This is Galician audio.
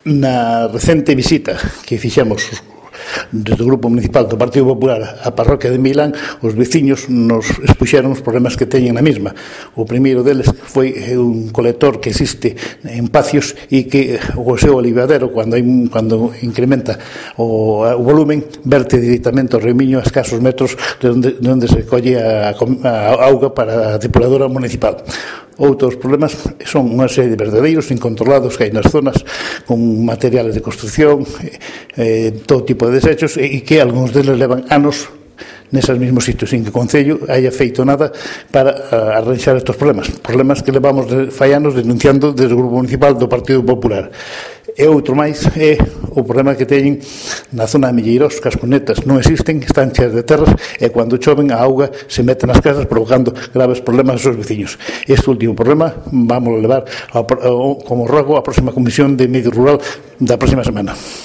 Na recente visita que fixemos desde o Grupo Municipal do Partido Popular á parroquia de Milán, os veciños nos expuxeron os problemas que teñen na mesma. O primeiro deles foi un colector que existe en Pacios e que o seu olivadero, cando incrementa o volumen, verte directamente ao remiño a escasos metros de onde se colle a auga para a depuradora municipal. Outros problemas son unha serie de verdadeiros incontrolados que hai nas zonas con materiales de construcción, todo tipo de desechos, e que algúns deles levan anos neses mesmos sitios, sin que o Concello haya feito nada para arranxar estes problemas que levamos fai anos denunciando desde o Grupo Municipal do Partido Popular. E outro máis é o problema que teñen na zona de Milleiros, que as cunetas non existen, están cheas de terras, e cando choven a auga se mete nas casas provocando graves problemas aos seus veciños. Este último problema vamos a levar como rogo á próxima Comisión de Medio Rural da próxima semana.